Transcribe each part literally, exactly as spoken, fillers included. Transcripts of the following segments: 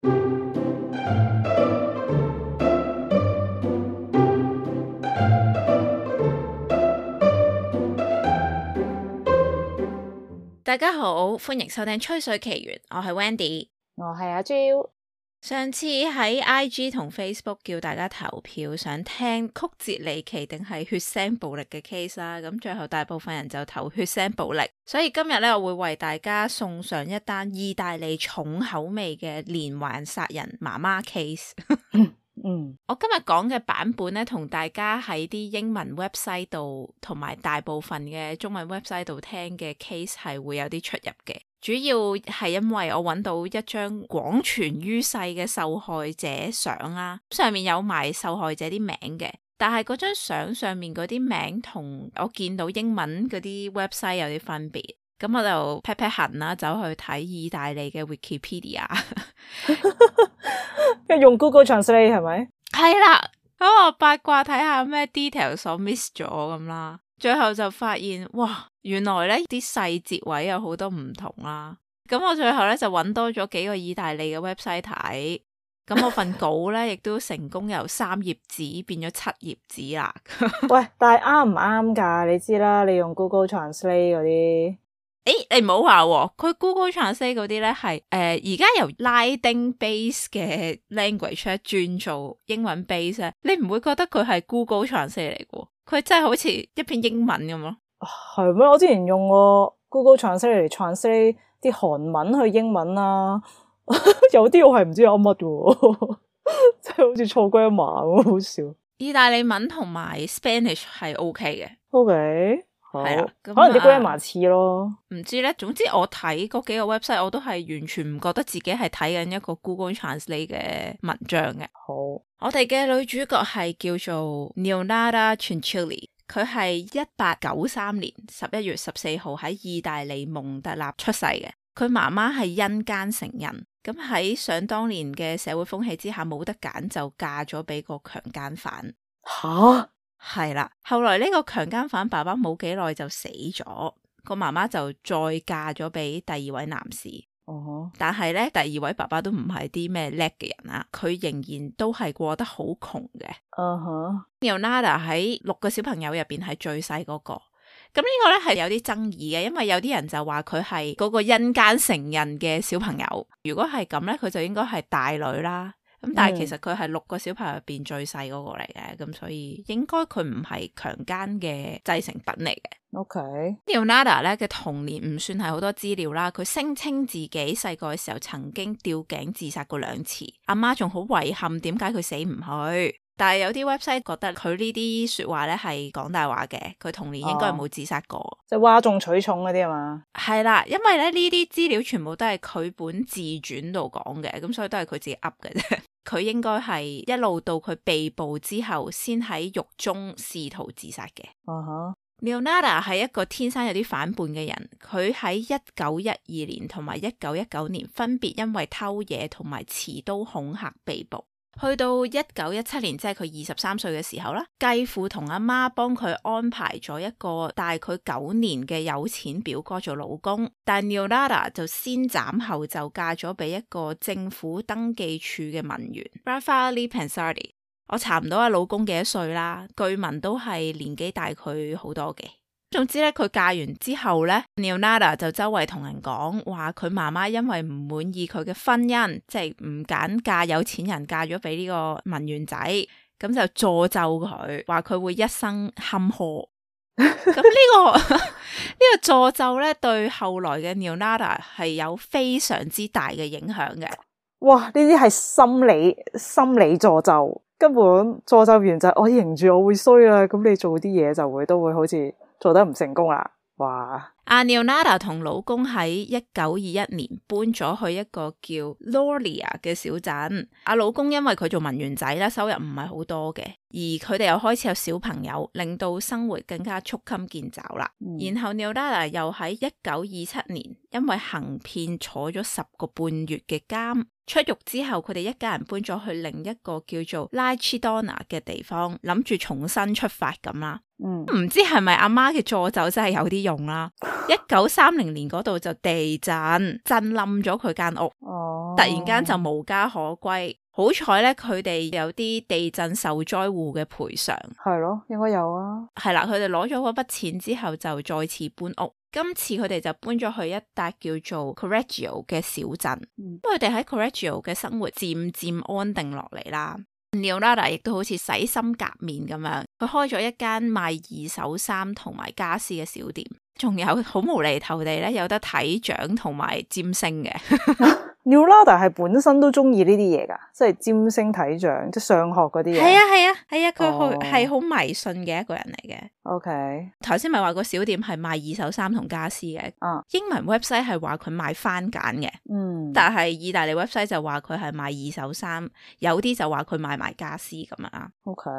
大家好，歡迎收聽吹水奇緣，我係 Wendy， 我係阿 Jo。上次喺 I G 同 Facebook 叫大家投票，想聽曲折離奇定係血腥暴力嘅 case 啦，咁最後大部分人就投血腥暴力，所以今日咧我會為大家送上一單意大利重口味嘅連環殺人媽媽 case。嗯，我今日講嘅版本咧，同大家喺啲英文 website 度同埋大部分嘅中文 website 度聽嘅 case 係會有啲出入嘅。主要係因為我揾到一張廣傳於世嘅受害者相啦，上面有埋受害者啲名嘅，但係嗰張相上面嗰啲名同我見到英文嗰啲 website 有啲分別，咁我就劈劈痕啦，走去睇意大利嘅 Wikipedia。用 Google Translate 係咪？係啦，咁我八卦睇下咩 details 我 miss 咗咁啦，最後就發現哇，原來咧啲細節位有好多唔同啦。咁我最後咧就揾多咗幾個意大利嘅 website 睇，咁我份稿咧亦都成功由三頁紙變咗七頁紙啦。喂，但係啱唔啱噶？你知啦，你用 Google Translate 嗰啲。誒，你唔好話喎，佢 Google Translate 嗰啲咧係誒而家由拉丁 base 嘅 language 咧轉做英文 base 咧，你唔會覺得佢係 Google Translate 嚟嘅？佢真係好似一篇英文咁咯。係咩？我之前用過 Google Translate 嚟 translate 啲韓文去英文啦，有啲我係唔知有乜嘅，真係好似錯歸一碼咁，好笑。意大利文同埋 Spanish 係 OK 嘅。OK。係啊，可能啲 grammar 似咯，唔知咧。總之我睇嗰幾個 website，我都係完全唔覺得自己係睇緊一個 Google Translate 嘅文章嘅。好，我哋嘅女主角係叫做 Neonata Ciancilli， 佢係一八九三年十一月十四號喺意大利蒙特納出世嘅。佢媽媽係因姦成人，咁喺想當年嘅社會風氣之下，冇得揀就嫁咗俾個強姦犯。吓？係啦，後來呢個強姦犯爸爸冇幾耐就死咗，個媽媽就再嫁咗俾第二位男士。哦、uh-huh. 但係咧，第二位爸爸都唔係啲咩叻嘅人啊，佢仍然都係過得好窮嘅。嗯哼 Neonata 喺六個小朋友入邊係最細嗰個，咁呢個咧係有啲爭議嘅，因為有啲人就話佢係嗰個因姦成人嘅小朋友，如果係咁咧，佢就應該係大女啦。咁但係其實佢係六個小朋友入邊最細嗰個嚟嘅，咁、嗯、所以應該佢唔係強姦嘅製成品嚟嘅。OK，Neonata 咧嘅童年唔算係好多資料啦，佢聲稱自己細個嘅時候曾經吊頸自殺過兩次，阿媽仲好遺憾點解佢死唔去，但係有啲 website 覺得佢呢啲說話咧係講大話嘅，佢童年應該係冇自殺過，即係嘩眾取寵嗰啲啊嘛。係啦，因為咧呢啲資料全部都係佢本自傳度講嘅，咁所以都係佢自己噏嘅啫。佢應該係一路到佢被捕之後，先喺獄中試圖自殺嘅。Uh-huh. Neonata 係一個天生有啲反叛嘅人，佢喺一九一二年同埋一九一九年分別因為偷嘢同埋持刀恐嚇被捕。去到一九一七年，即係佢二十三歲嘅時候啦，繼父同阿媽幫佢安排咗一個大佢九年嘅有錢表哥做老公，但 Neonata 就先斬後奏嫁咗俾一個政府登記處嘅文員 Raffaele Pansardi。我查唔到阿老公幾多歲啦，據聞都係年紀大佢好多嘅。總之咧，佢嫁完之後咧 Neonata 就周圍同人講話佢媽媽因為唔滿意佢嘅婚姻，即係唔揀嫁有錢人，嫁咗俾呢個文員仔，咁就詛咒佢，話佢會一生坎坷。咁呢、這個呢個詛咒咧，對後來嘅 Neonata 係有非常之大嘅影響嘅。哇！呢啲係心理心理詛咒，根本詛咒完就係我認住我會衰啦，咁你做啲嘢就會都會好似做得唔成功啦。哇！阿 Neonata 同老公喺一九二一年搬咗去一個叫 Lauria 嘅小鎮。阿老公因為佢做文員仔啦，收入唔係好多嘅，而佢哋又開始有小朋友，令到生活更加捉襟見肘啦。嗯、然後 Neonata 又喺一九二七年因為行騙坐咗十個半月嘅監，出獄之後，佢哋一家人搬咗去另一個叫做 Lachidona 嘅地方，諗住重新出發咁啦。嗯，唔知係咪阿媽嘅助手真係有啲用啦？一九三零年嗰度就地震，震冧咗佢間屋，哦，突然間就無家可歸。好彩咧，佢哋有啲地震受災戶嘅賠償，係咯，應該有啊。係啦，佢哋攞咗嗰筆錢之後就再次搬屋。今次佢哋就搬咗去一笪叫做 Correggio 嘅小鎮，嗯，佢哋喺 Correggio 嘅生活漸漸安定落嚟啦。Leonardo 亦都好似洗心革面咁樣，佢開咗一間賣二手衫同埋家私嘅小店，仲有好無厘頭地咧有得睇掌同埋占星嘅。Leonardo 係本身都中意呢啲嘢噶，即係占星睇掌，即係上學嗰啲嘢。係啊係啊係啊，佢好哦係好迷信嘅一個人嚟嘅。OK，頭先咪話個小店係賣二手衫同家私嘅，啊，英文 website 係話佢賣番梘嘅，嗯，但係意大利 website 就話佢係賣二手衫，有啲就話佢賣埋家私咁樣啊。OK，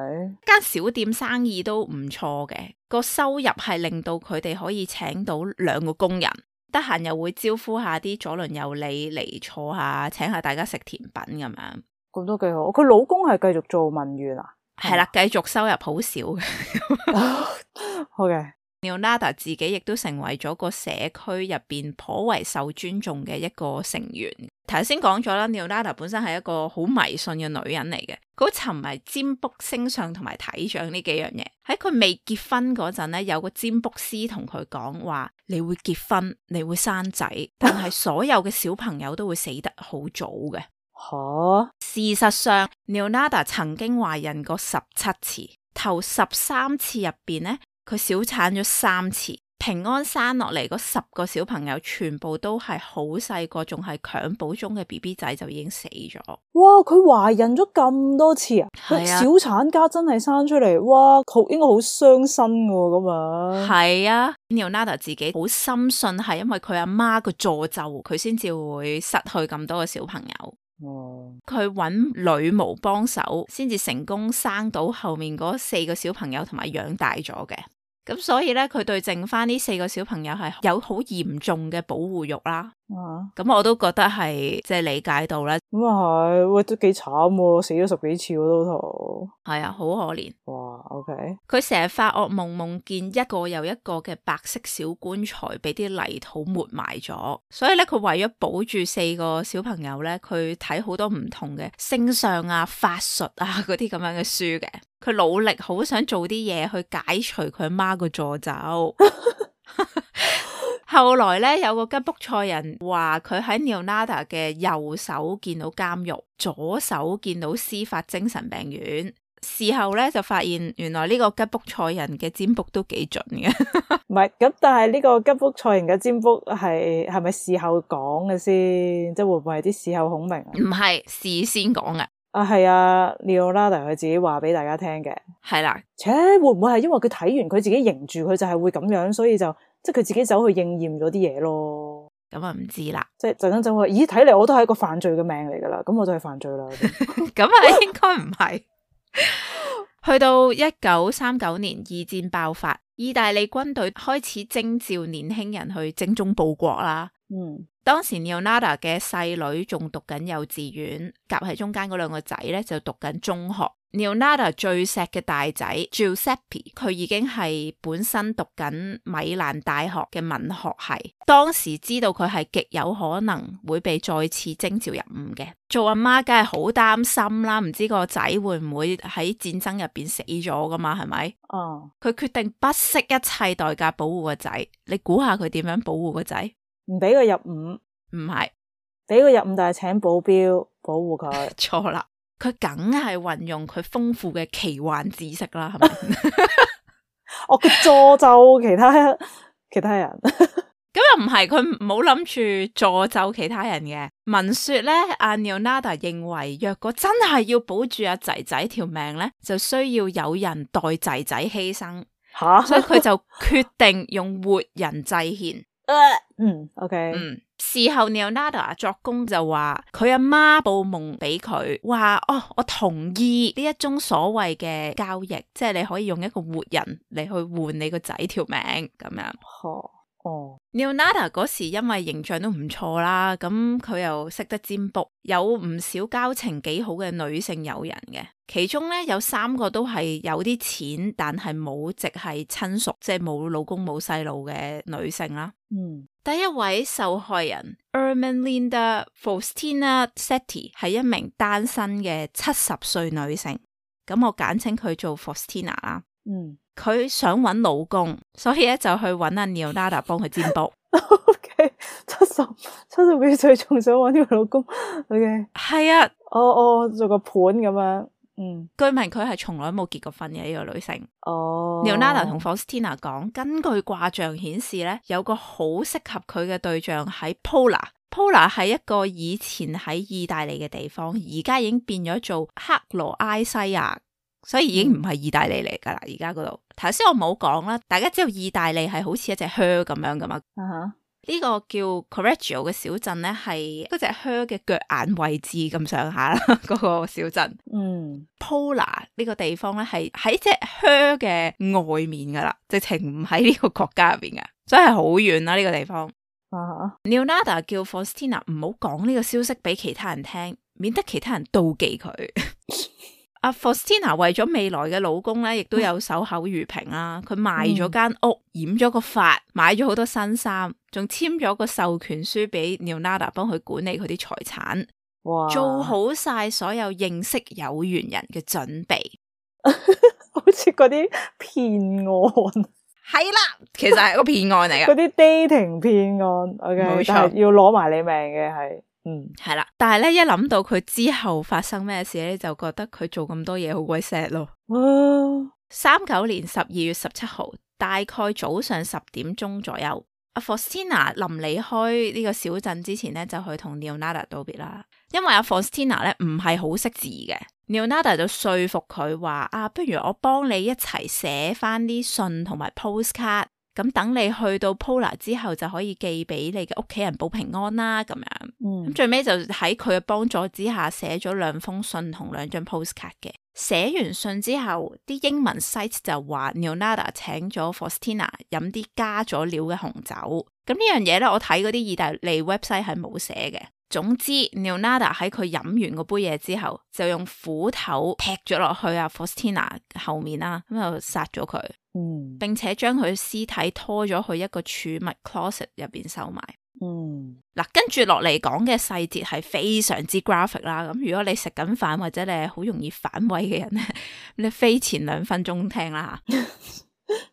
間小店生意都唔錯嘅，個收入係令到佢哋可以請到兩個工人。得閒又會招呼下啲左鄰右里嚟坐下，請下大家食甜品咁樣，咁都幾好。佢老公係繼續做文員啊？係啦，繼續收入好少嘅。好嘅，Leonardo 自己亦都成為咗個社區入邊頗為受尊重嘅一個成員。頭先講咗啦，Leonardo 本身係一個好迷信嘅女人嚟嘅，佢好沉迷占卜、星相同埋睇相呢幾樣嘢。喺佢未結婚嗰陣咧，有個占卜師同佢講話：你會結婚，你會生仔，但係所有嘅小朋友都會死得好早嘅。吓，事實上 Leonardo 曾經懷孕過十七次，頭十三次入邊咧，佢小產咗三次。平安生落嚟嗰十個小朋友全部都係好細個，仲係襁褓中嘅 B B 仔就已經死咗。哇！佢懷孕咗咁多次啊？係啊，小產家真係生出嚟，哇！好應該好傷身㗎咁啊。係啊 Leonardo 自己好深信係因為佢阿媽個詛咒，佢先至會失去咁多個小朋友。哦，佢揾女巫幫手，先至成功生到後面嗰四個小朋友，同埋養大咗嘅。咁所以咧，佢對剩翻呢四個小朋友係有好嚴重嘅保護欲啦。啊，咁我都覺得係即係理解到啦。咁啊係，喂都幾慘喎，死咗十幾次嗰都圖。係啊，好可憐。哇 ，OK。佢成日發噩夢，夢見一個又一個嘅白色小棺材俾啲泥土抹埋咗。所以咧，佢為咗保住四個小朋友咧，佢睇好多唔同嘅星相啊、法術啊嗰啲咁樣嘅書嘅。佢努力好想做啲嘢去解除佢阿媽個詛咒。後來咧，有個吉卜賽人話佢喺 Leonardo 嘅右手見到監獄，左手見到司法精神病院。事後咧就發現原來呢個吉卜賽人嘅占卜都幾準嘅。唔係咁，但係呢個吉卜賽人嘅占卜係係咪事後講嘅先？即係會唔會係啲事後孔明啊？唔係事先講嘅。啊，係啊 Leonardo 佢自己話俾大家聽嘅。係啦，切會唔會係因為佢睇完佢自己認住佢就係會咁樣，所以就即係佢自己走去應驗咗啲嘢咯？咁啊唔知啦，即係陣間走去，咦睇嚟我都係一個犯罪嘅命嚟噶啦，咁我就係犯罪啦。咁啊應該唔係。去到一九三九年，二戰爆發，意大利軍隊開始徵召年輕人去精忠報國啦。嗯，當時 Leonardo 嘅細女仲讀緊幼稚園，夾喺中間嗰兩個仔咧就讀緊中學。Leonardo 最錫嘅大仔 Giuseppe， 佢已經係本身讀緊米蘭大學嘅文學系，當時知道佢係極有可能會被再次徵召入伍嘅。做阿媽梗係好擔心啦，唔知個仔會唔會喺戰爭入邊死咗噶嘛？係咪？哦，佢決定不惜一切代價保護個仔。你估下佢點樣保護個仔？唔俾佢入伍？唔係，俾佢入伍，但係請保鏢保護佢。錯啦。佢梗係運用佢豐富嘅奇幻知識啦，係咪？哦，佢詛咒其他其他人。咁又唔係，佢冇諗住詛咒其他人嘅。聞說咧，阿 Leonardo 認為，若果真係要保住阿仔仔條命咧，就需要有人代仔仔犧牲。吓，所以佢就決定用活人祭獻。嗯 ，OK，嗯，事後 Leonardo 作供就話佢阿媽報夢俾佢，話哦，我同意呢一宗所謂嘅交易，即係你可以用一個活人嚟去換你個仔條命咁樣。哦哦 Leonardo 嗰時因為形象都唔錯啦，咁佢又識得占卜，有唔少交情幾好嘅女性友人嘅，其中咧有三個都係有啲錢，但係冇直係親屬，即係冇老公冇細路嘅女性啦。嗯，第一位受害人 Ermelinda Faustina Setti 係一名單身嘅七十歲女性，咁我簡稱佢做 Faustina 啦。嗯，佢想揾老公，所以咧就去揾阿 Leonardo 幫佢占卜。OK， 七十七十幾歲仲想揾呢個老公 ，OK， 係啊，哦哦，做個盤咁樣，嗯，據聞佢係從來冇結過婚嘅呢、這個女性。哦 Leonardo 同 Faustina 講，根據卦象顯示咧，有個好適合佢嘅對象喺 Pola。Pola 係一個以前喺意大利嘅地方，而家已經變咗做克羅埃西亞。所以已經唔係意大利嚟噶啦，而家嗰度。頭先我冇講啦，大家知道意大利係好似一隻靴咁樣噶嘛？呢、uh-huh. 個叫 Correggio 嘅小鎮咧，係嗰隻靴嘅腳眼位置咁上下啦，嗰個小鎮。嗯 Pola 呢個地方咧係喺隻靴嘅外面噶啦，直情唔喺呢個國家入邊噶，所以係好遠啦呢個地方。Uh-huh. Leonardo 叫 Faustina 唔好講呢個消息俾其他人聽，免得其他人妒忌佢。阿 Faustina 為咗未來嘅老公咧，亦都有守口如瓶啦。佢賣咗間屋，染咗個髮，買咗好多新衫，仲簽咗個授權書俾 Leonardo 幫佢管理佢啲財產。哇！做好晒所有認識有緣人嘅準備，好似嗰啲騙案。係啦，其實係個騙案嚟嘅。嗰啲 dating 騙案 ，OK， 冇錯，但係要攞埋你命嘅係。嗯，係啦，但係咧一諗到佢之後發生咩事咧，就覺得佢做咁多嘢好鬼 sad 咯。三九年十二月十七號，大概早上十點鐘左右，阿 Faustina 臨離開呢個小鎮之前咧，就去同 Leonardo 道別啦。因為阿 Faustina 咧唔係好識字嘅 ，Leonardo 就說服佢話啊，不如我幫你一齊寫翻啲信同埋 postcard。咁等你去到 Pola 之後就可以寄俾你嘅屋企人保平安啦，咁樣。咁、嗯、最尾就喺佢嘅幫助之下寫咗兩封信同兩張 postcard 嘅。寫完信之後，啲英文 site 就話 Leonardo 請咗 Faustina 飲啲加咗料嘅紅酒。咁呢樣嘢咧，我睇嗰啲意大利 website 係冇寫嘅。總之 Leonardo 喺佢飲完嗰杯嘢之後，就用斧頭劈咗落去阿 Faustina 後面啦，咁就殺咗佢。嗯，並且將佢屍體拖咗去一個儲物 closet 入邊收埋。嗯，嗱，跟住落嚟講嘅細節係非常之 graphic 啦。咁如果你食緊飯或者你係好容易反胃嘅人咧，你飛前兩分鐘聽啦吓。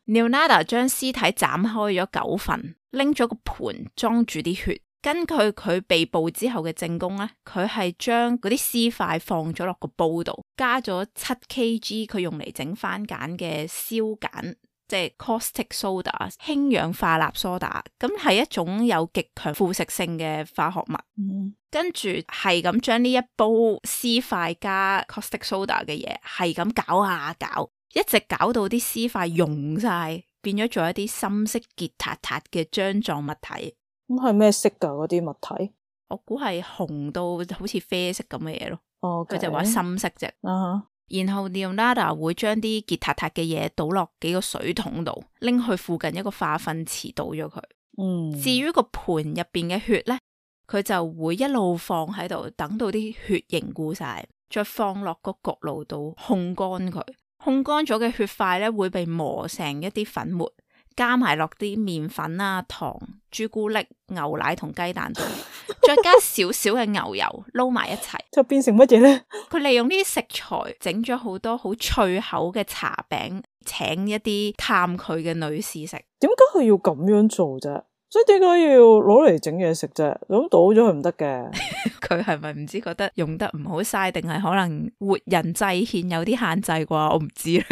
Leonardo 將屍體斬開咗九份，拎咗個盤裝住啲血。根據佢被捕之後嘅證供咧，佢係將嗰啲屍塊放咗落個煲度，加咗七 kg 佢用嚟整番梘嘅硝鹼，即係 caustic soda 氫氧化鈉蘇打，咁係一種有極強腐蝕性嘅化學物。嗯、跟住係咁將呢一煲屍塊加 caustic soda 嘅嘢係咁搞下搞，一直搞到啲屍塊溶晒，變咗做一啲深色結塔塔嘅漿狀物體。咁係咩色噶嗰啲物體？我估係紅到好似啡色咁嘅嘢咯。哦，佢就話深色啫。Uh-huh. 然後 Leonardo 會將啲結塔塔嘅嘢倒落幾個水桶度，拎去附近一個化糞池倒咗佢。嗯。至於個盤入邊嘅血咧，佢就會一路放喺度，等到啲血凝固晒，再放落個焗爐度烘乾佢。烘乾咗嘅血塊咧會被磨成一啲粉末。加埋落啲麵粉啊、糖、朱古力、牛奶同雞蛋度，再加少少嘅牛油撈埋一齊，就變成乜嘢咧？佢利用呢啲食材整咗好多好脆口嘅茶餅，請一啲探佢嘅女士食。點解佢要咁樣做啫？所以點解要攞嚟整嘢食啫？咁倒咗佢唔得嘅。佢係咪唔知覺得用得唔好嘥，定係可能活人祭獻有啲限制啩？我唔知啦。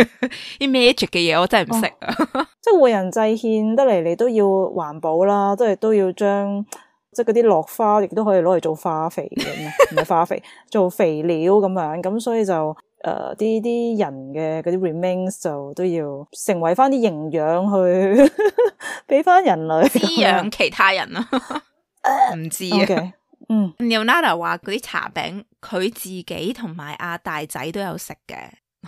啲 magic 嘅嘢我真係唔識啊。哦、即係活人祭獻得嚟，你都要環保啦，都係都要將即係嗰啲落花，亦都可以攞嚟做化肥嘅，唔係化肥，做肥料咁樣。咁所以就誒啲啲人嘅嗰啲 remains 就都要成為翻啲營養去俾翻人類滋養其他人啊。唔知啊。Okay. 嗯 Leonardo 話嗰啲茶餅佢自己同埋阿大仔都有食嘅，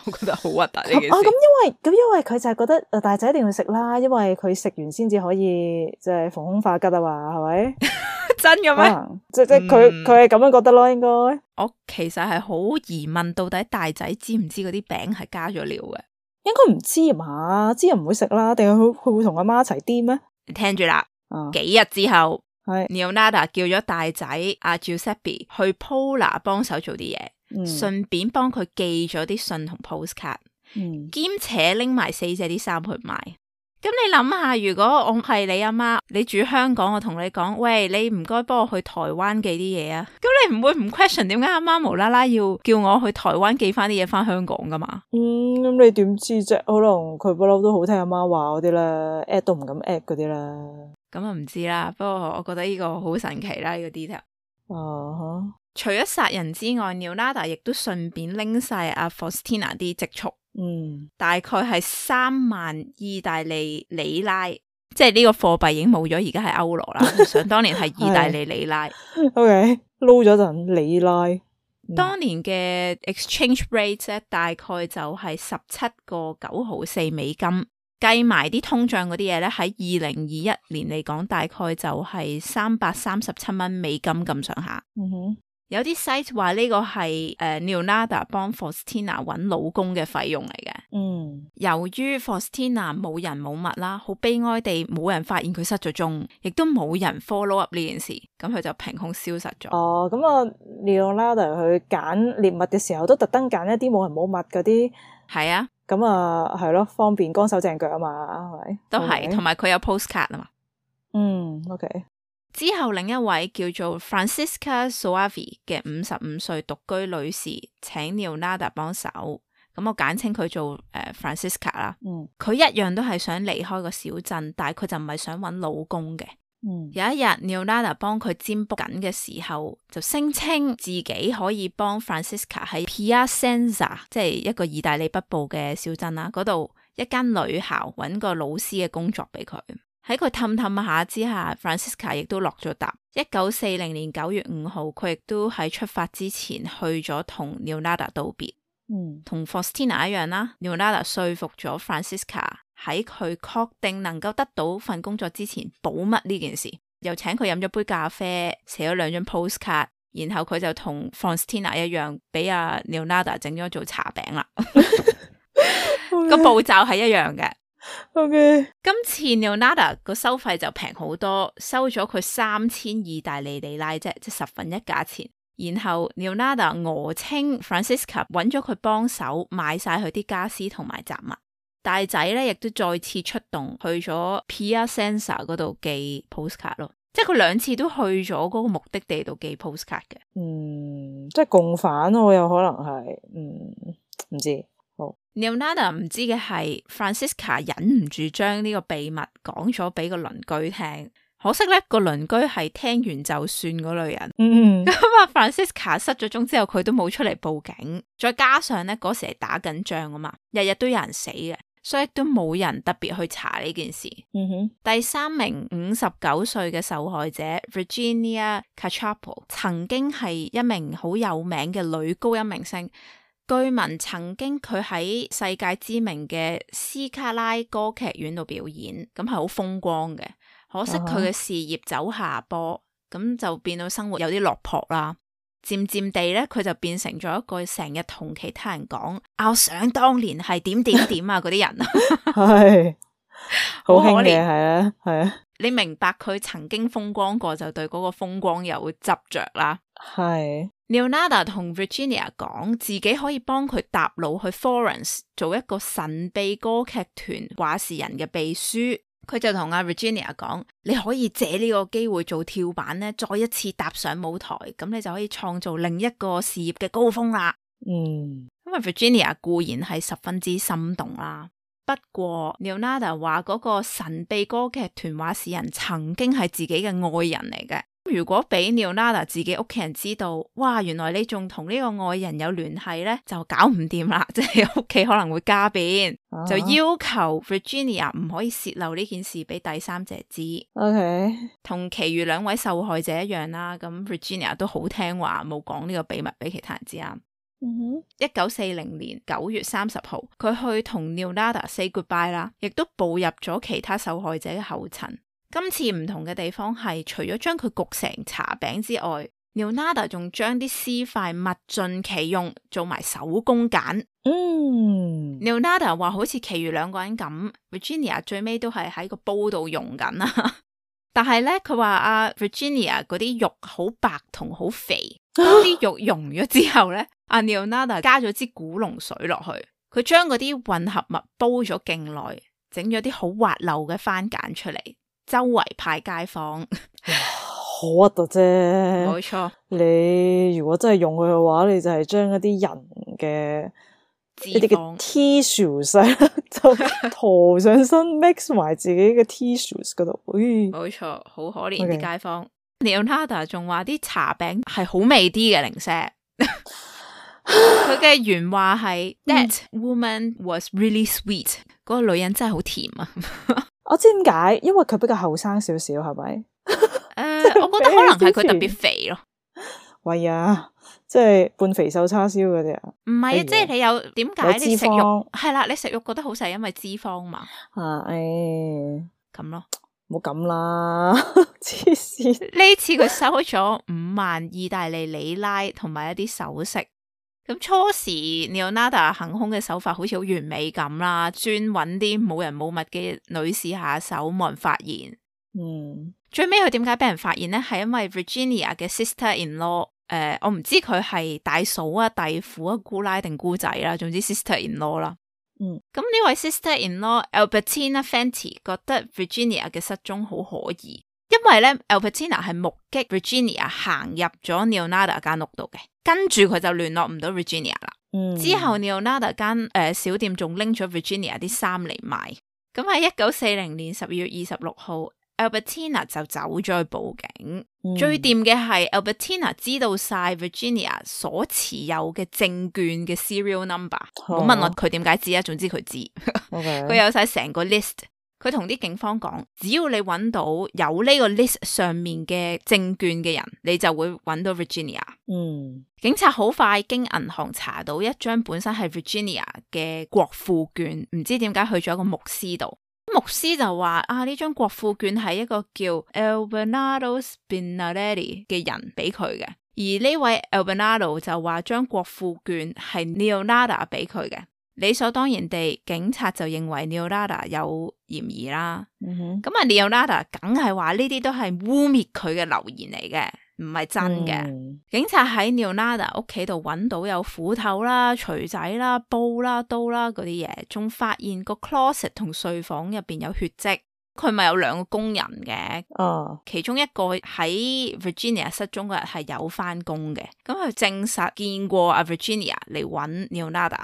我覺得好核突呢件事。啊，咁因為咁因為佢就係覺得誒大仔一定要食啦，因為佢食完先至可以即係逢凶化吉啊嘛，係咪？真嘅咩？啊、即即佢佢係咁樣覺得咯，應該。我其實係好疑問，到底大仔知唔知嗰啲餅係加咗料嘅？應該唔知啊嘛，知又唔會食啦，定係佢佢會同阿媽一齊癲咩？你聽住啦，啊，幾日之後，係 Leonardo 叫咗大仔阿 Giuseppe 去 Pola 幫手做啲嘢，嗯順便幫佢寄咗啲信同 postcard，嗯兼且拎埋四姐啲衫去賣。咁你諗下，如果我係你阿媽，你住香港，我同你講，喂，你唔該幫我去台灣寄啲嘢啊。咁你唔會唔 question 點解阿媽無啦啦要叫我去台灣寄翻啲嘢翻香港噶嘛？嗯，咁你點知啫？可能佢不嬲都好聽阿媽話嗰啲啦 at 都唔敢 at 嗰啲啦。咁啊唔知啦，不過我覺得呢個好神奇啦，呢、這個 detail。啊哈！除咗殺人之外 Leonardo 亦都順便拎晒阿 Faustina 啲積蓄。嗯，大概係三萬意大利里拉，即係呢個貨幣已經冇咗，而家係歐羅啦。想當年係意大利里拉。OK，撈咗陣里拉。嗯、當年嘅 exchange rate 咧，大概就係十七個九毫四美金，計埋啲通脹嗰啲嘢咧，喺二零二一年嚟講，大概就係三百三十七蚊美金咁上下。嗯哼。有啲 site 話呢個係誒、uh, Leonardo 幫 Faustina 揾老公嘅費用嚟嘅。嗯，由於 Faustina 冇人冇物啦，好悲哀地冇人發現佢失咗蹤，亦都冇人 follow up 呢件事，咁佢就憑空消失咗。哦，咁啊 Leonardo 去揀獵物嘅時候，都特登揀一啲冇人冇物嗰啲。係啊，咁啊係咯，方便乾手淨腳啊嘛，係咪？都係，同埋佢有 postcard 啊嘛。嗯 ，OK。之後另一位叫做 Francisca Soavi 嘅五十五歲獨居女士請 Leonardo 幫手，咁我簡稱佢做誒、呃、Francisca 啦。嗯，佢一樣都係想離開個小鎮，但係佢就唔係想揾老公嘅。嗯，有一日 Leonardo 幫佢占卜緊嘅時候，就聲稱自己可以幫 Francisca 喺 Piacenza， 即係一個意大利北部嘅小鎮啦，嗰度一間女校揾個老師嘅工作俾佢。喺佢氹氹下之下 Francisca 亦都落咗答。一九四零年九月五號，佢亦都喺出發之前去咗同 Leonardo 道別。嗯，同 Faustina 一樣啦 Leonardo 說服咗 Francisca 喺佢確定能夠得到份工作之前保密呢件事，又請佢飲咗杯咖啡，寫咗兩張 postcard， 然後佢就同 Faustina 一樣，俾阿 Leonardo 整咗做茶餅啦。個步驟係一樣嘅。OK，今次 Leonardo 個收費就平好多，收咗佢三千意大利里拉啫，即係十分一價錢。然後 Leonardo 訛稱 Francisca 揾咗佢幫手買晒佢啲家私同埋雜物。大仔咧亦都再次出動去咗 Piacenza 嗰度寄 postcard 咯，即係佢兩次都去咗嗰個目的地度寄 postcard 嘅。嗯，即係共犯咯，有可能係，嗯，唔知。Leonardo 唔知嘅係 Francisca 忍唔住將呢個秘密講咗俾個鄰居聽，可惜咧個鄰居係聽完就算嗰類人。嗯，咁啊 Francisca 失咗蹤之後，佢都冇出嚟報警，再加上咧嗰時係打緊仗啊嘛，日日都有人死嘅，所以都冇人特別去查呢件事。嗯哼，第三名五十九歲嘅受害者 Virginia Cacioppo 曾經係一名好有名嘅女高音明星。據聞曾經佢喺世界知名嘅斯卡拉歌劇院度表演，咁係好風光嘅。可惜佢嘅事業走下坡，咁、uh huh. 就變到生活有啲落魄啦。漸漸地咧，佢就變成咗一個成日同其他人講，我想當年係點點點啊嗰啲人，係好可憐興嘅，係啊，係啊。你明白佢曾經風光過，就對嗰個風光有執着啦。係。Leonardo 同 Virginia 講自己可以幫佢搭路去 Florence 做一個神秘歌劇團話事人嘅秘書，佢就同阿 Virginia 講，你可以借呢個機會做跳板咧，再一次踏上舞台，咁你就可以創造另一個事業嘅高峰啦。嗯，因為 Virginia 固然係十分之心動啦，不過 Leonardo 話嗰個神秘歌劇團話事人曾經係自己嘅愛人嚟嘅。如果俾 Leonardo 自己屋企人知道，哇，原來你仲同呢個愛人有聯繫咧，就搞唔掂啦，即係屋企可能會家變，啊、就要求 Virginia 唔可以洩漏呢件事俾第三者知。OK，同其餘兩位受害者一樣啦，咁 Virginia 都好聽話，冇講呢個秘密俾其他人知啊。嗯一九四零年九月三十號，佢去同 Leonardo say goodbye 啦，亦都步入咗其他受害者嘅後塵。今次唔同嘅地方係，除咗將佢焗成茶餅之外， Leonardo 仲將啲屍塊物盡其用，做埋手工揀。嗯 Leonardo 話好似其餘兩個人咁 Virginia 最尾都係喺個煲度溶緊啦。但係咧，佢話阿 Virginia 嗰啲肉好白同好肥，當啲肉溶咗之後咧，阿 Leonardo 加咗支古龍水落去，佢將嗰啲混合物煲咗勁耐，整咗啲好滑溜嘅番梘出嚟，周圍派街坊。好核突啫！冇錯，你如果真係用佢嘅話，你就係將一啲人嘅脂一啲嘅肪 tissues 就塗上身，mix 埋自己嘅 tissues 嗰度。咦，冇錯，好可憐啲街坊。Leonardo 仲話啲茶餅係好味啲嘅零舍。佢嘅原話係 That woman was really sweet。嗰個女人真係好甜啊！我知點解，因為佢比較後生少少，係咪？誒、uh, 我覺得可能係佢特別肥咯。喂呀，即係半肥瘦叉燒嗰啲啊？唔係啊，即係你有點解你食有脂肪肉係啦？你食肉覺得好細，因為脂肪嘛。啊，誒，咁咯，唔好咁啦，黐線！呢次佢收咗五萬意大利里拉同埋一啲首飾。咁初時 Leonardo 行兇嘅手法好似好完美咁啦，專揾啲冇人冇物嘅女士下手，冇人發現。嗯，最尾佢點解俾人發現呢？係因為 Virginia 嘅 sister-in-law，誒、呃，我唔知佢係大嫂啊、弟婦啊、姑奶定姑仔啦，總之 sister-in-law 啦。嗯，咁呢位 sister-in-law Albertina Fanti 覺得 Virginia 嘅失蹤好可疑，因為咧 Albertina 係目擊 Virginia 行入咗 Leonardo 間屋度嘅，跟住佢就聯絡唔到 Virginia 啦。嗯，之後 Leonardo 間誒、呃、小店仲拎咗 Virginia 啲衫嚟賣。咁喺一九四零年十二月二十六號。Albertina 就走咗去報警，嗯、最掂嘅係 Albertina 知道晒 Virginia 所持有嘅證券嘅 serial number，唔好、哦、問我佢點解知啊，總之佢知，佢 Okay. 有晒成個 list，佢同啲警方講，只要你揾到有呢個 list 上面嘅證券嘅人，你就會揾到 Virginia。嗯，警察好快經銀行查到一張本身係 Virginia 嘅國庫券，唔知點解去咗一個牧師度。牧師就話啊，呢張國庫券係一個叫 Albernardo Spinarelli 嘅人俾佢嘅，而呢位 Albernardo 就話張國庫券係 Leonardo 俾佢嘅，理所當然地，警察就認為 Leonardo 有嫌疑啦。咁啊、嗯、Leonardo 梗係話呢啲都係污衊佢嘅流言嚟嘅，唔係真嘅。嗯、警察喺 Leonardo 屋企度揾到有斧頭啦、錘仔啦、煲啦、刀啦嗰啲嘢，仲發現個 closet 同睡房入邊有血跡。佢咪有兩個工人嘅，啊，其中一個喺 Virginia 失蹤嗰日係有翻工嘅，咁佢證實見過阿 Virginia 嚟揾 Leonardo。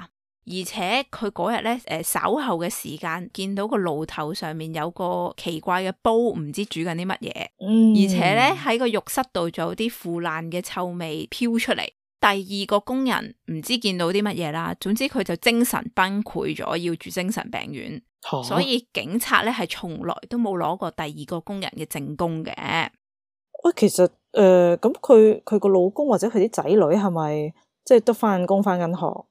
而且佢嗰日咧，誒稍後嘅時間見到個爐頭上面有個奇怪嘅煲，唔知煮緊啲乜嘢。嗯，而且咧喺個浴室度仲有啲腐爛嘅臭味飄出嚟。第二個工人唔知見到啲乜嘢啦，總之佢就精神崩潰咗，要住精神病院。啊、所以警察咧係從來都冇攞過第二個工人嘅證供嘅。喂，其實誒，咁佢佢個老公或者佢啲仔女係咪即係都翻工翻緊學？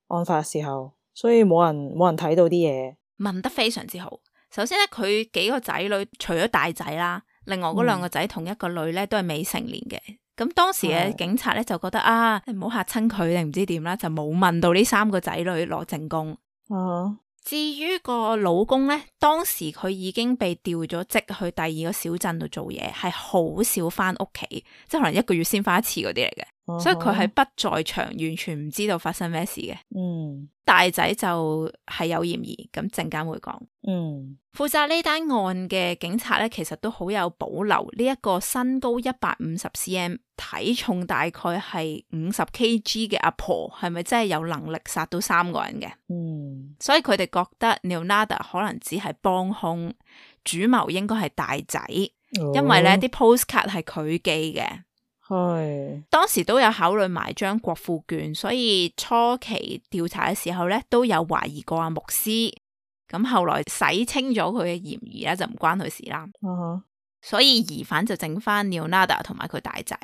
案發嘅時候，所以冇人冇人睇到啲嘢。問得非常之好。首先咧，佢幾個仔女除咗大仔啦，另外嗰兩個仔同一個女咧都係未成年嘅。咁、嗯、當時嘅警察咧就覺得啊，你唔好嚇親佢定唔知點啦，就冇問到呢三個仔女攞證供。啊，至於個老公咧，當時佢已經被調咗職去第二個小鎮度做嘢，係好少翻屋企，即係可能一個月先翻一次嗰啲嚟嘅。Uh huh. 所以佢係不在場，完全唔知道發生咩事嘅。嗯，大仔就係有嫌疑，咁陣間會講。嗯，負責呢單案嘅警察咧，其實都好有保留呢一個身高一百五十 cm、體重大概係五十 kg 嘅阿婆，係咪真係有能力殺到三個人嘅？嗯，所以佢哋覺得 Leonardo 可能只係幫兇，主謀應該係大仔，哦、因為咧啲 postcard 係佢寄嘅。係當時都有考慮埋張國庫券，所以初期調查嘅時候咧都有懷疑過阿牧師，咁後來洗清咗佢嘅嫌疑咧就唔關佢事啦。啊哈，所以疑犯就整翻 Leonardo 同埋佢大仔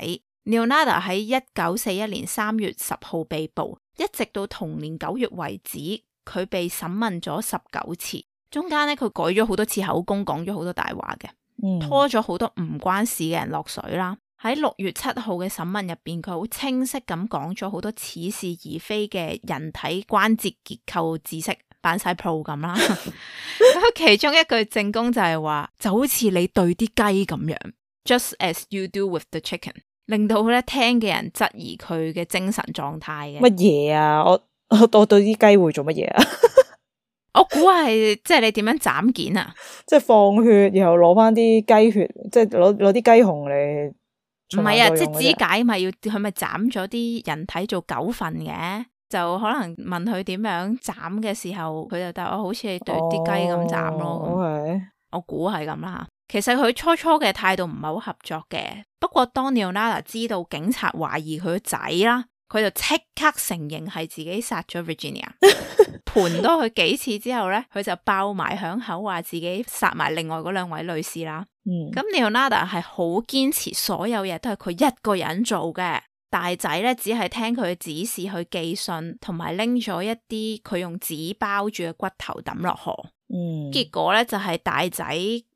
Leonardo 喺一九四一年三月十號被捕，一直到同年九月為止，佢被審問咗十九次，中間咧佢改咗好多次口供，講咗好多大話嘅，嗯、拖咗好多唔關事嘅人落水啦。喺六月七號嘅審問入邊，佢好清晰咁講咗好多似是而非嘅人體關節結構知識，扮晒 pro 咁啦。咁其中一句證供就係話，就好似你對啲雞咁樣 ，just as you do with the chicken。令到咧聽嘅人質疑佢嘅精神狀態嘅。乜嘢啊？我我我對啲雞會做乜嘢啊？我估係即係你點樣斬件啊？即係放血，然後攞翻啲雞血，即係攞攞啲雞紅嚟。唔係啊，即係肢解咪要佢咪斬咗啲人體做九份嘅，就可能問佢點樣斬嘅時候，佢就答我好似係對啲雞咁斬咯。哦 okay. 我估係咁啦。其實佢初初嘅態度唔係好合作嘅，不過當 Leonardo 知道警察懷疑佢個仔啦，佢就即刻承認係自己殺咗 Virginia。盤多佢幾次之後咧，佢就爆埋響口話自己殺埋另外嗰兩位女士啦。咁、嗯、Leonardo 係好堅持所有嘢都係佢一個人做嘅，大仔咧只係聽佢嘅指示去寄信，同埋拎咗一啲佢用紙包住嘅骨頭抌落河。嗯、結果咧就係、是、大仔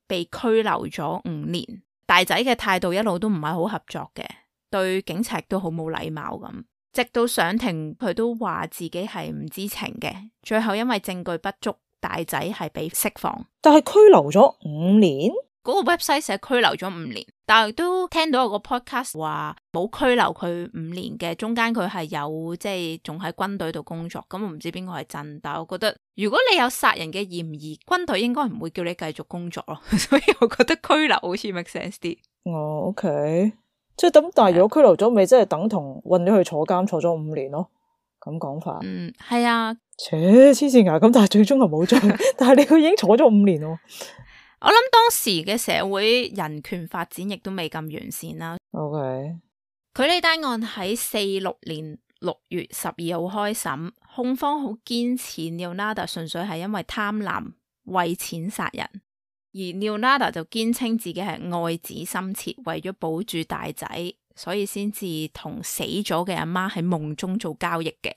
被拘留咗五年，大仔嘅態度一路都唔係好合作嘅，對警察都好冇禮貌咁。直到上庭，佢都話自己係唔知情嘅。最後因為證據不足，大仔係被釋放。但係拘留咗五年？嗰個 website 寫拘留咗五年，但係都聽到有個 podcast 話冇拘留佢五年嘅，中間佢係有即係仲喺軍隊度工作。咁我唔知邊個係真，但係我覺得如果你有殺人嘅嫌疑，軍隊應該唔會叫你繼續工作咯。所以我覺得拘留好似 make sense 啲。哦 OK，即係咁，但係如果拘留咗，咪即係等同運咗去坐監坐咗五年咯？咁講法。嗯，係啊。切，黐線牙咁，但係最終係冇罪，但係你佢已經坐咗五年咯。我諗當時嘅社會人權發展亦都未咁完善啦。OK，佢呢單案喺四六年六月十二號開審，控方好堅持 Leonardo 純粹係因為貪婪為錢殺人，而 Leonardo 就堅稱自己係愛子心切，為咗保住大仔，所以先至同死咗嘅阿媽喺夢中做交易嘅。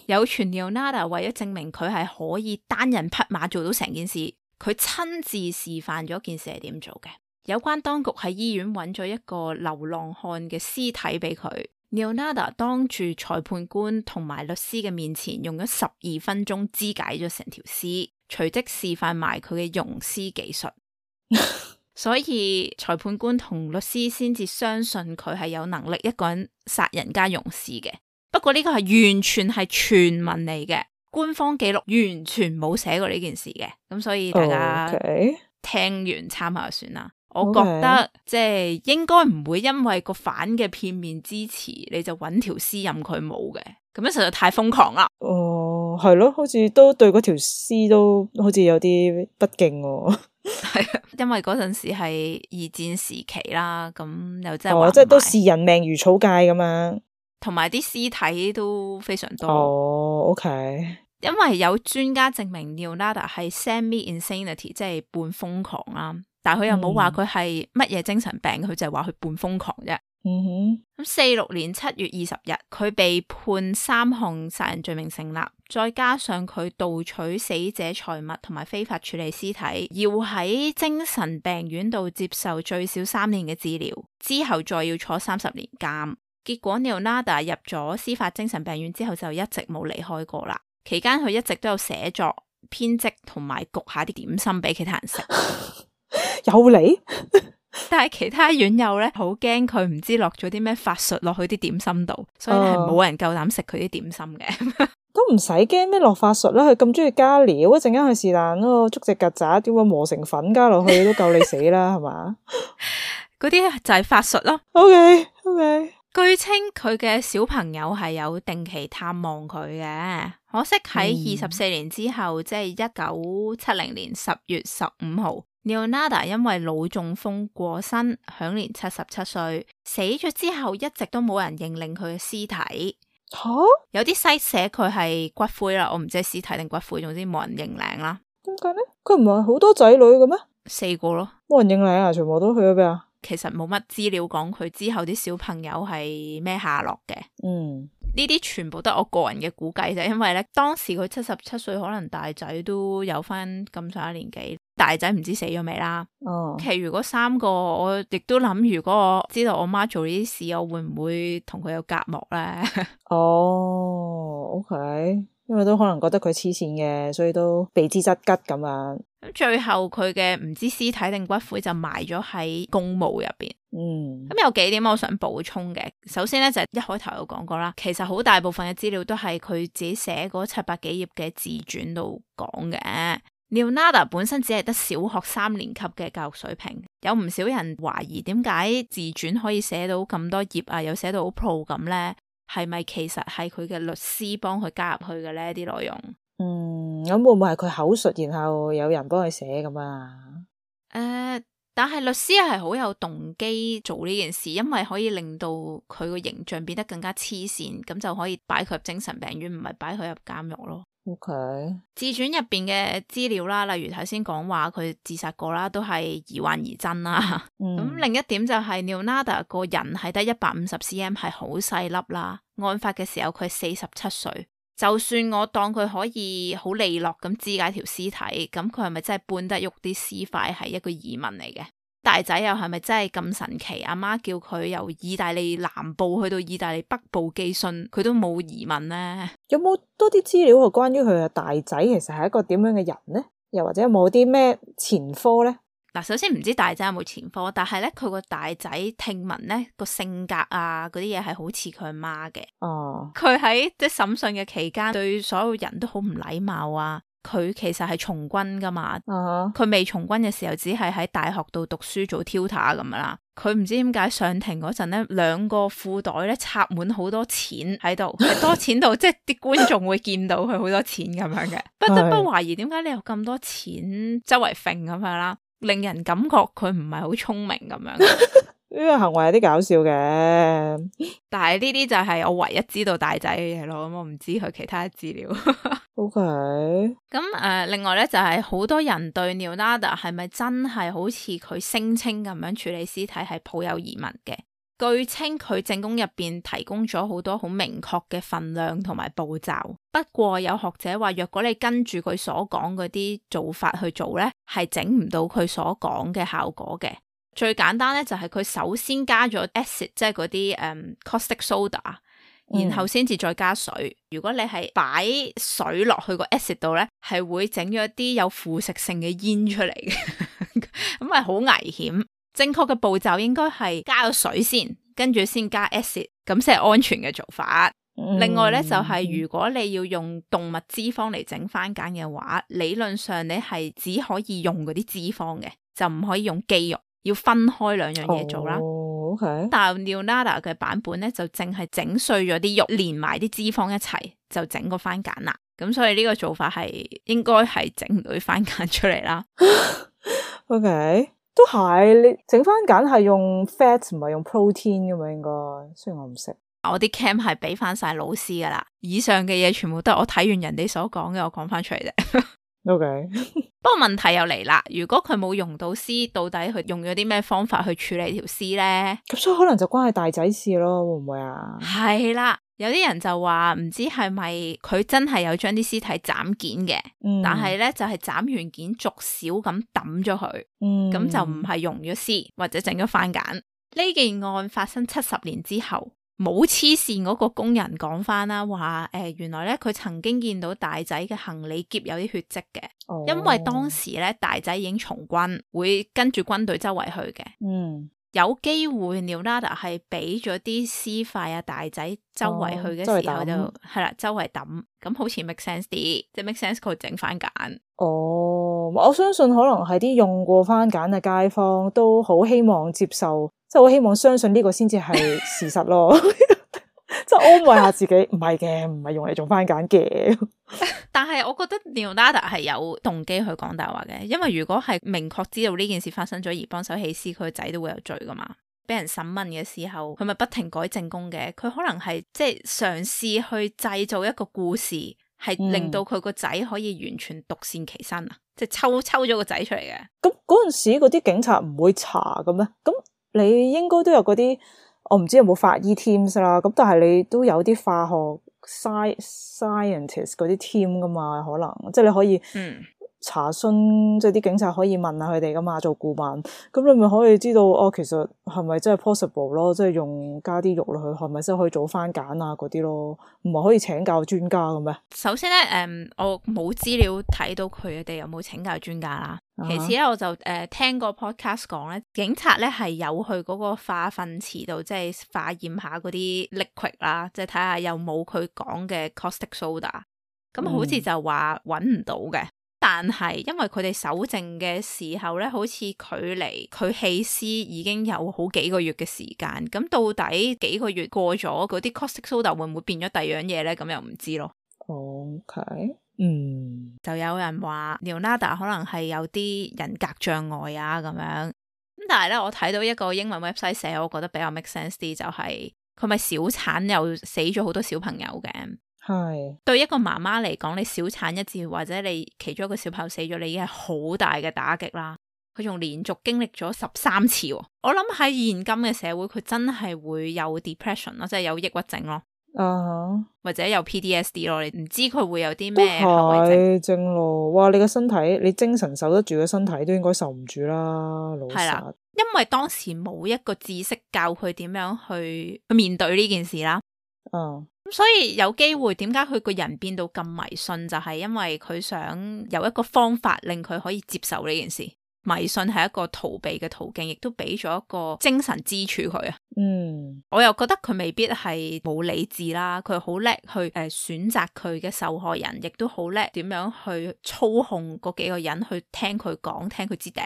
有傳 Leonardo 為咗證明佢係可以單人匹馬做到成件事，佢親自示範咗件事係點做嘅。有關當局喺醫院揾咗一個流浪漢嘅屍體俾佢。Leonardo 當住裁判官同埋律師嘅面前，用咗十二分鐘肢解咗成條屍，隨即示範埋佢嘅溶屍技術。所以裁判官同律師先至相信佢係有能力一個人殺人加溶屍嘅。不過呢個係完全係傳聞嚟嘅，官方記錄完全冇寫過呢件事嘅，咁所以大家聽完參考就算啦。Okay. 我覺得即係應該唔會因為個反嘅片面支持，你就揾條屍任佢冇嘅，咁樣實在太瘋狂啦。哦，係咯，好似都對嗰條屍都好似有啲不敬喎。係，因為嗰陣時係二戰時期啦，咁又真係話、哦、即係都視人命如草芥咁樣。同埋啲屍體都非常多。哦 ，OK。因為有專家證明 Leonardo 係 semi-insanity， 即係半瘋狂啦。但係佢又冇話佢係乜嘢精神病，佢、嗯、就係話佢半瘋狂啫。嗯哼。咁四六年七月二十日，佢被判三項殺人罪名成立，再加上佢盜取死者財物同埋非法處理屍體，要喺精神病院度接受最少三年嘅治療，之後再要坐三十年監。結果 Leonardo 入咗司法精神病院之後就一直冇離開過啦。期間佢一直都有寫作、編輯同埋焗下啲點心俾其他人食。有嚟？但係其他院友咧好驚佢唔知落咗啲咩法術落去啲點心度，所以係冇人夠膽食佢啲點心嘅。都唔使驚咩落法術啦，佢咁中意加料，一陣間佢是但咯，捉隻曱甴點會磨成粉加落去都夠你死啦，係嘛？嗰啲就係法術咯。OK OK。據稱佢嘅小朋友係有定期探望佢嘅，可惜喺二十四年之後，嗯、即係一九七零年十月十五號 Leonardo 因為腦中風過身，享年七十七歲。死咗之後，一直都冇人認領佢嘅屍體。吓、啊，有啲西寫佢係骨灰啦，我唔知係屍體定骨灰，總之冇人認領啦。點解呢？佢唔係好多仔女嘅咩？四個咯，冇人認領啊，全部都去咗邊啊？其實冇乜資料講佢之後啲小朋友係咩下落嘅。嗯，呢啲全部都係我個人嘅估計啫，因為咧當時佢七十七歲，可能大仔都有翻咁上下年紀，大仔唔知死咗未啦。哦，其餘嗰三個我亦都諗，如果我知道我媽做呢啲事，我會唔會同佢有隔膜咧？哦，OK。因為都可能覺得佢黐線嘅，所以都避之則吉咁樣。咁最後佢嘅唔知屍體定骨灰就埋咗喺公墓入邊。嗯，咁有幾點我想補充嘅。首先咧就係、一開頭有講過啦，其實好大部分嘅資料都係佢自己寫嗰七百幾頁嘅自傳度講嘅。Leonardo 本身只係得小學三年級嘅教育水平，有唔少人懷疑點解自傳可以寫到咁多頁啊，又寫到好 pro 咁咧？係咪其實係佢嘅律師幫佢加入去嘅呢啲內容？嗯，咁會唔會係佢口述，然後有人幫佢寫咁啊？誒、呃，但係律師係好有動機做呢件事，因為可以令到佢個形象變得更加黐線，咁就可以擺佢入精神病院，唔係擺佢入監獄咯。OK，自傳入邊嘅資料啦，例如頭先講話佢自殺過啦，都係疑幻疑真啦。咁、嗯、另一點就係 Leonardo 個人係得一百五十 cm， 係好細粒啦。案發嘅時候佢四十七歲，就算我當佢可以好利落咁肢解條屍體，咁佢係咪真係搬得喐啲屍塊係一個疑問嚟嘅？大仔又係咪真係咁神奇？阿媽叫佢由意大利南部去到意大利北部寄信，佢都冇疑問呢？有冇多啲資料係關於佢嘅大仔其實係一個點樣嘅人呢？又或者有冇啲咩前科呢？嗱，首先唔知大仔有冇前科，但係咧佢個大仔聽聞咧個性格啊嗰啲嘢係好似佢阿媽嘅。哦，佢喺即係審訊嘅期間對所有人都好唔禮貌啊。佢其實係從軍噶嘛，佢、uh-huh. 未從軍嘅時候只係喺大學度讀書做 tutor 咁樣啦。佢唔知點解上庭嗰陣咧，兩個褲袋咧插滿好多錢喺度，係多錢到即係啲觀眾會見到佢好多錢咁樣嘅，不得不懷疑點解你有咁多錢周圍揈咁樣啦，令人感覺佢唔係好聰明咁樣。呢個行為有啲搞笑嘅，但係呢啲就係我唯一知道大仔嘅嘢咯，咁我唔知佢其他資料。O K，咁誒，另外咧就係、是、好多人對 Leonardo 係咪真係好似佢聲稱咁樣處理屍體係抱有疑問嘅。據稱佢證供入邊提供咗好多好明確嘅份量同埋步驟，不過有學者話，若果你跟住佢所講嗰啲做法去做咧，係整唔到佢所講嘅效果嘅。最簡單咧就係佢首先加咗 acid， 即係嗰啲誒 caustic soda，然後先至再加水。嗯、如果你係擺水落去個 acid 度咧，係會整咗一啲有腐蝕性嘅煙出嚟嘅，咁係好危險。正確嘅步驟應該係加咗水先，跟住先加 acid， 咁先係安全嘅做法。嗯、另外咧就係、是、如果你要用動物脂肪嚟整番梘嘅話，理論上你係只可以用嗰啲脂肪嘅，就唔可以用肌肉。要分開兩樣嘢做啦。Oh, okay. 但係 Leonardo 嘅版本咧就淨係整碎咗啲肉，連埋啲脂肪一齊就整個番梘啦。咁所以呢個做法係應該係整唔到啲番梘出嚟啦。OK，都係你整番梘係用 fat 唔係用 protein 噶嘛？應該，雖然我唔識。我啲 cam 係俾翻晒老師噶啦，以上嘅嘢全部都係我睇完人哋所講嘅，我講翻出嚟啫。OK，不過問題又嚟啦，如果佢冇用到屍，到底佢用咗啲咩方法去處理條屍咧？咁所以可能就關係大仔事咯，會唔會啊？係啦，有啲人就話唔知係咪佢真係有將啲屍體斬件嘅，嗯、但係咧就係、是、斬完件逐少咁抌咗佢，咁、嗯、就唔係用咗屍或者整咗番梘。呢件案發生七十年之後。冇黐線嗰個工人講翻啦，話誒、呃、原來咧佢曾經見到大仔嘅行李篋有啲血跡嘅，哦、因為當時咧大仔已經從軍，會跟住軍隊周圍去嘅。嗯，有機會 Leonardo 係俾咗啲屍塊啊大仔周圍去嘅時候就係啦、哦，周圍抌，咁好似 make sense 啲，即係 make sense 佢整番梘。哦，我相信可能係啲用過番梘嘅街坊都好希望接受。即係我希望相信呢個先至係事實咯，即係安慰下自己，唔係嘅，唔係用嚟做番梘嘅。但係我覺得 Leonardo 係有動機去講大話嘅，因為如果係明確知道呢件事發生咗而幫手棄屍，佢個仔都會有罪噶嘛。俾人審問嘅時候，佢咪不停改證供嘅，佢可能係即係嘗試去製造一個故事，係令到佢個仔可以完全獨善其身啊，即係抽抽咗個仔出嚟嘅。咁嗰陣時嗰啲警察唔會查嘅咩？咁你應該都有嗰啲，我唔知有冇法醫 teams 啦，咁但係你都有啲化學 sci scientist 嗰啲 team 噶嘛，可能即係你可以嗯查詢，即係啲警察可以問下佢哋噶嘛，做顧問，咁你咪可以知道哦，其實係咪真係 possible 咯？即係用加啲肉落去，係咪真係可以做番梘啊嗰啲咯？唔係可以請教專家嘅咩？首先咧，誒、嗯，我冇資料睇到佢哋有冇請教專家啦。Uh-huh. 其次咧，我就誒、呃、聽個 podcast 講咧，警察咧係有去嗰個化糞池度，即係化驗下嗰啲 liquid 啦，即係睇下有冇佢講嘅 caustic soda。咁好似就話揾唔到嘅。嗯，但係因為佢哋搜證嘅時候咧，好似距離佢棄屍已經有好幾個月嘅時間，咁到底幾個月過咗，嗰啲 caustic soda 會唔會變咗第二樣嘢咧？咁又唔知咯。OK，嗯，就有人話 Leonardo 可能係有啲人格障礙啊咁樣，咁但係咧我睇到一個英文 website 寫，我覺得比較 make sense 啲，就係佢咪小產又死咗好多小朋友嘅。係對一個媽媽嚟講，你小產一次或者你其中一個小朋友死咗，你已經係好大嘅打擊啦。佢仲連續經歷咗十三次，我諗喺現今嘅社會，佢真係會有 depression 咯，即係有抑鬱症咯，啊、uh-huh. 或者有 P T S D 咯。你唔知佢會有啲咩後遺症。係正路，哇！你個身體，你精神受得住嘅身體都應該受唔住啦，老實。係啦，因為當時冇一個知識教佢點樣去去面對呢件事啦。嗯、uh.。咁所以有機會點解佢個人變到咁迷信，就係因為佢想有一個方法令佢可以接受呢件事。迷信係一個逃避嘅途徑，亦都俾咗一個精神支柱佢啊。嗯，我又覺得佢未必係冇理智啦，佢好叻去誒選擇佢嘅受害人，亦都好叻點樣去操控嗰幾個人去聽佢講，聽佢支笛。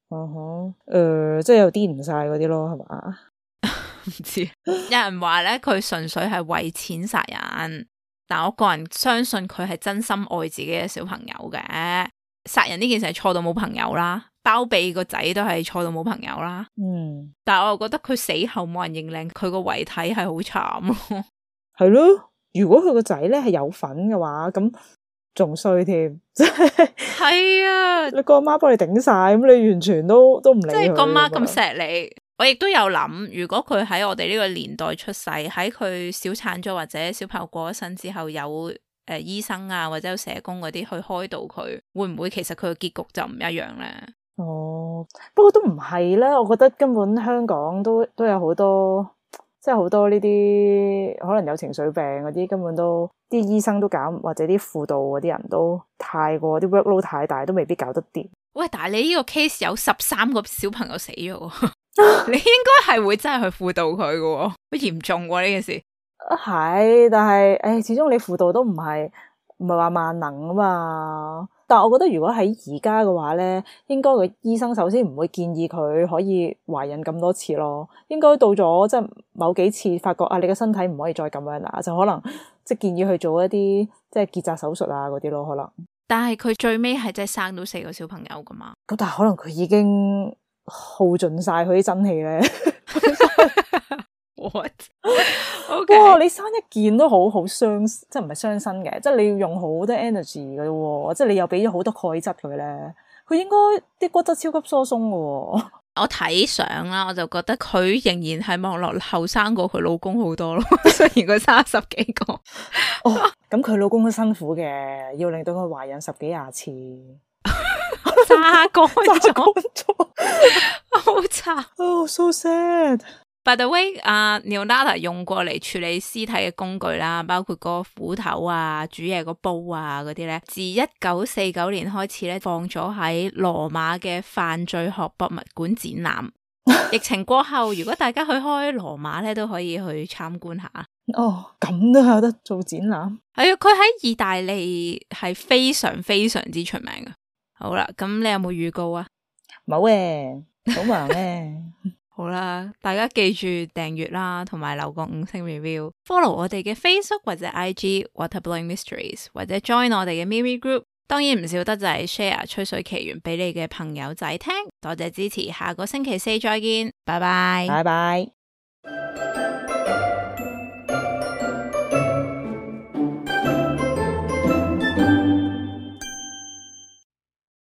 哦呵，誒，即係有啲唔晒嗰啲咯，係嘛？唔知，有人話咧佢純粹係為錢殺人，但我個人相信佢係真心愛自己嘅小朋友嘅。殺人呢件事係錯到冇朋友啦，包庇個仔都係錯到冇朋友啦。嗯，但係我又覺得佢死後冇人認領佢個遺體係好慘咯。係咯，如果佢個仔咧係有份嘅話，咁仲衰添。係啊，你個阿媽幫你頂晒，咁你完全都都唔理佢。即係個媽咁錫你。我亦都有諗，如果佢喺我哋呢個年代出世，喺佢小產咗或者小朋友過咗身之後，有誒、呃、醫生啊或者有社工嗰啲去開導佢，會唔會其實佢嘅結局就唔一樣咧？哦，不過都唔係啦，我覺得根本香港都都有好多，即係好多呢啲可能有情緒病嗰啲，根本都啲醫生都搞，或者啲輔導嗰啲人都太過啲 workload 太大，都未必搞得掂。喂，但係你呢個 case 有十三個小朋友死咗。你應該係會真係去輔導佢嘅，好嚴重喎呢件事。係，但係誒，始終你輔導都唔係唔係話萬能啊嘛。但係我覺得如果喺而家嘅話咧，應該個醫生首先唔會建議佢可以懷孕咁多次咯。應該到咗即係某幾次發覺啊，你嘅身體唔可以再咁樣啦，就可能即係建議去做一啲即係結紮手術啊嗰啲咯，可能。但係佢最尾係真係生到四個小朋友噶嘛？咁但係可能佢已經耗盡晒佢啲真氣咧。What？ Okay. 哇！你生一件都好好傷，即係唔係傷身嘅，即係你要用好多 energy 嘅喎，即係你又俾咗好多鈣質佢咧，佢應該啲骨質超級疏鬆嘅喎。我睇相啦，我就覺得佢仍然係望落後生過佢老公好多咯，雖然佢生十幾個。哦，咁佢老公都辛苦嘅，要令到佢懷孕十幾廿次。炸乾咗，好慘。Oh, so sad. By the way， 阿、uh, Leonardo 用過嚟處理屍體嘅工具啦，包括個斧頭啊、煮嘢個煲啊嗰啲咧，自一九四九年開始咧，放咗喺羅馬嘅犯罪學博物館展覽。疫情過後，如果大家去開羅馬咧，都可以去參觀下。哦，咁都有得做展覽？係啊，佢喺意大利係非常非常之出名嘅。好啦，咁你有冇預告啊？冇嘅，好忙咧。好啦，大家記住訂閱啦，同埋留個五星 review，follow 我哋嘅 Facebook 或者 I G Waterblowing Mysteries， 或者 join 我哋嘅 Miri Group。當然唔少得就係 share 吹水奇緣俾你嘅朋友仔聽。多謝支持，下個星期四再見，拜拜，拜拜。